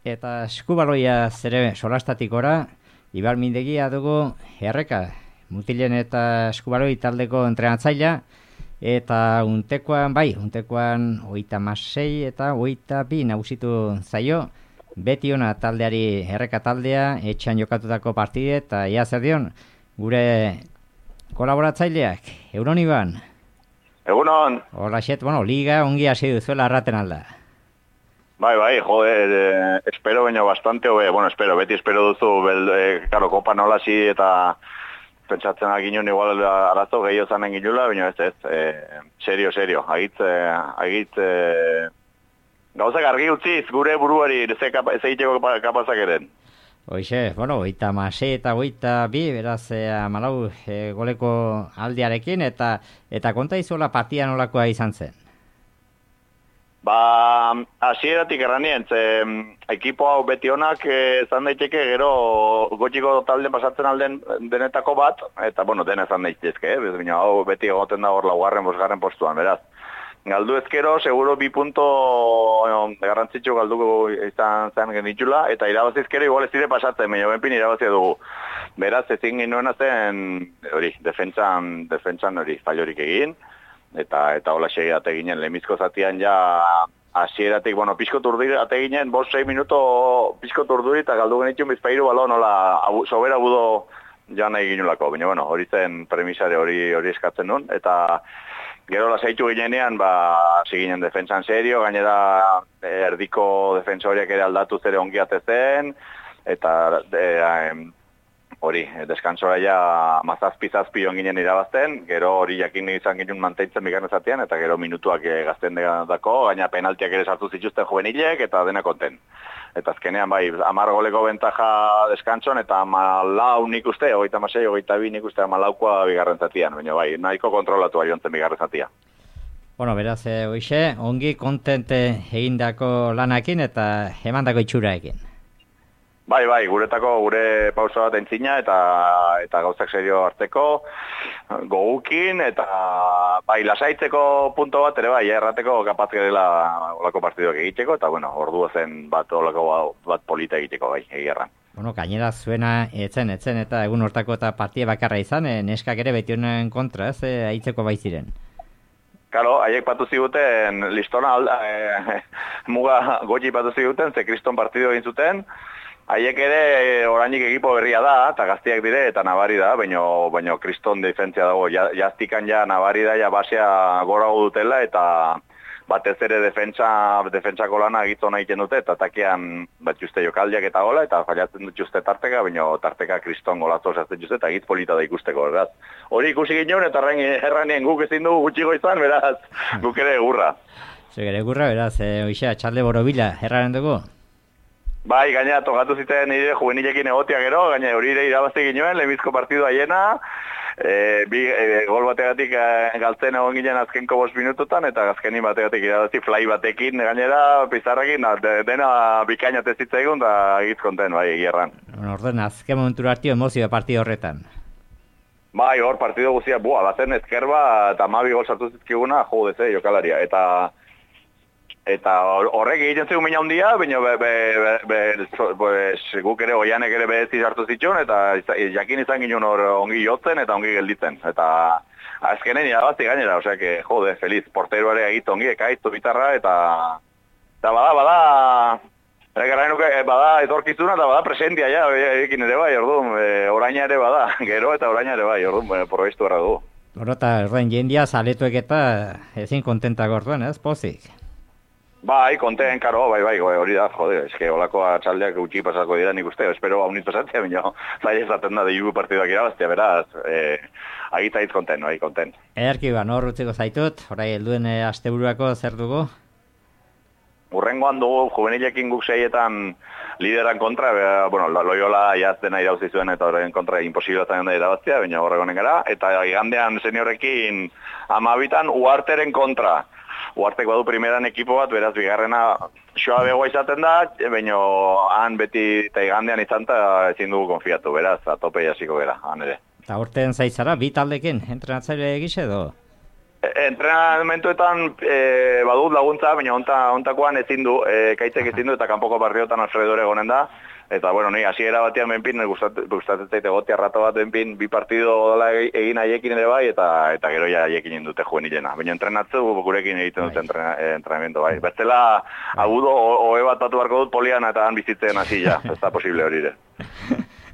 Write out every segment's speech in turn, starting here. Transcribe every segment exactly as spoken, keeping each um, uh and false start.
eta eskubaloia zere solastatikora, Ibalmindegia dugu erreka, mutilen eta eskubaloi taldeko entrenatzailea, eta untekoan, bai, untekoan oita masei eta oita bi nagusitu zaio, beti ona taldeari erreka taldea, etxean jokatutako partide, eta ia zer dion, gure kolaboratzaileak, Euron Iban. Egunon. Hola, xet, bueno, liga ongi hasi duzuela arraten alda. Bai, bai, joder, eh, espero baino bastante, obe, bueno, espero, beti espero duzu, bel, eh, claro, kopa nolasi eta pentsatzen aginun igual arazo gehiago zanen ginula, baina ez ez, eh, serio, serio, agit, eh, agit, eh, gauzak argi utziz gure buruari ze egiteko kapazak eren. Hoixe, bueno, oita masei eta oita bi, beraz, eh, malau eh, goleko aldiarekin, eta eta konta izola partia nolakoa izan zen? Ba, hasieratik erranien, ze ekipo hau beti honak izan daiteke gero gotxiko talden pasatzen alden denetako bat, eta bueno, dena izan daitezke, eh? Baina hau beti egoten da hor laugarren, bosgarren postuan, beraz. Galdu ezkero, seguro bi punto garrantzitsu galduko izan zen genitxula, eta irabazizkero igual ez dire pasatzen, baina benpin irabazia dugu. Beraz, ezin ginoena zen, hori, defentsan, defentsan hori, fallorik egin, eta eta hola segi ateginen lemizko zatian ja hasieratik, bueno, pizko turdiri ateginen, bost sei minuto pizko turdiri eta galdu genitxun bizpairu balon hola abu, sobera budo ja nahi ginulako, baina bueno, hori zen premisare hori hori eskatzen nun, eta gero lasaitu ginenean, ba, ziginen defentsan serio, gainera erdiko defensoriak ere aldatu zere ongi atezen, eta e, hori, deskantzora ja mazazpi-zazpi joan ginen irabazten, gero hori jakin izan ginen manteitzen bigarren zatean, eta gero minutuak gazten dako, gaina penaltiak ere sartu zituzten juvenilek, eta dena konten. Eta azkenean bai, amar goleko bentaja deskantzon, eta amalau nik uste, ogeita masei, ogeita bi nik uste amalaukoa bigarren zatean, baina bai, nahiko kontrolatu aiontzen bigarren zatea. Bueno, beraz, e, hoxe, ongi kontente egindako lanakin eta emandako itxuraekin. Bai, bai, guretako gure pausa bat entzina eta eta gauzak serio hartzeko gogukin eta bai lasaitzeko punto bat ere bai, errateko kapaz dela olako partiduak egiteko eta bueno, ordua zen bat olako bat polita egiteko bai, egierran. Bueno, gainera zuena etzen, etzen eta egun hortako eta partia bakarra izan, e, neskak ere beti honen kontra, ez, e, aitzeko bai ziren. Karo, haiek patu ziguten listona alda, e, muga gotxi patu ziguten, ze kriston partidu egin zuten. Haiek ere orainik ekipo berria da, eta gaztiak dire, eta nabari da, baino, baino kriston defentzia dago, jaztikan ja nabari da, ja basea gora dutela, eta batez ere defentsa, defentsako lana egitzo nahi dute, eta takean bat juste jokaldiak eta gola, eta fallatzen dut juste tarteka, baino tarteka kriston golazo osatzen juste, eta egitz polita da ikusteko, beraz. Hori ikusi ginen, eta erranien guk ezin dugu gutxiko izan, beraz, guk ere egurra. Zuek ere egurra, beraz, e, oixa, txalde borobila, erraren dugu? Bai, gaina tokatu ziten nire juvenilekin egotia gero, gaina hori ere irabazi ginoen, lehenbizko partidu haiena, e, bi, e, gol bategatik e, galtzen egon ginen azkenko bost minututan, eta azkenin bategatik irabazi fly batekin, gainera pizarrekin, de, dena bikaina tezitza egun, da egitz konten, bai, egierran. Bueno, orden, azken momentu hartio emozioa partidu horretan. Bai, hor partidu guztia, bua, bazen ezkerba, eta mabi gol sartu zizkiguna, jodez, eh, jokalaria, eta... Eta horrek egiten zegoen mina handia, baina be, be, be, be, guk ere oianek ere behezi hartu zituen, eta jakin izan ginen hor ongi jotzen eta ongi gelditzen. Eta azkenen irabazi gainera, osea, que, jode, feliz, portero ere egit ongi, ekaitu bitarra, eta, eta bada, bada, nuke, bada etorkizuna, eta bada presentia, ja, ekin ere bai, orduan, e, oraina ere bada, gero eta oraina ere bai, orduan, probestu erra dugu. Horota, erden, jendia saletuek eta ezin kontentak orduan, ez, pozik? Bai, konten, karo, bai, bai, hori da, jode, eske holako atxaldeak gutxi pasako dira nik uste, espero haunit pasatzea, baina zai ezaten da de jugu partiduak irabaztea, beraz, eh, agita hitz konten, bai, konten. Erki, ba, nor utziko zaitut, orai helduen e, asteburuako zer dugu? Urrengoan dugu, juvenilekin guk seietan lideran kontra, be, bueno, Loyola jaztena irauzi zuen eta horren kontra imposible zaten da irabaztea, baina horregonen gara, eta igandean seniorekin amabitan uarteren kontra. Uartek badu primeran ekipo bat, beraz bigarrena xoa begoa izaten da, baina han beti eta igandean izan eta ezin dugu konfiatu, beraz, atope jasiko gara, han ere. Eta horten zaitzara, bi taldekin, entrenatzaile egize edo? Entrenamentuetan e, badut laguntza, baina onta, ontakoan ezin du, e, kaitzek ezin du, eta kanpoko partiotan Alfredore egonen da. Eta, bueno, ni hasiera batean benpin, gustatzen zaite gotia rato bat benpin, bi partido dola egin haiekin ere bai, eta eta gero ja haiekin indute juvenilena. Baina entrenatzu gurekin egiten dute entrenamendu bai. Bestela, agudo, ohe bat batu barko dut polian eta han bizitzen hasi ja, ez da posible hori ere.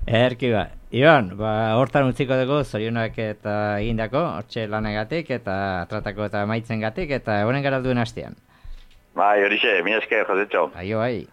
Erki ba. Iban, ba, hortan utziko dugu, zorionak eta egindako, hortxe lanagatik, eta tratako eta maitzen gatik, eta honen gara duen hastean. Bai, horixe, mi esker, Josetxo. Aio, bai.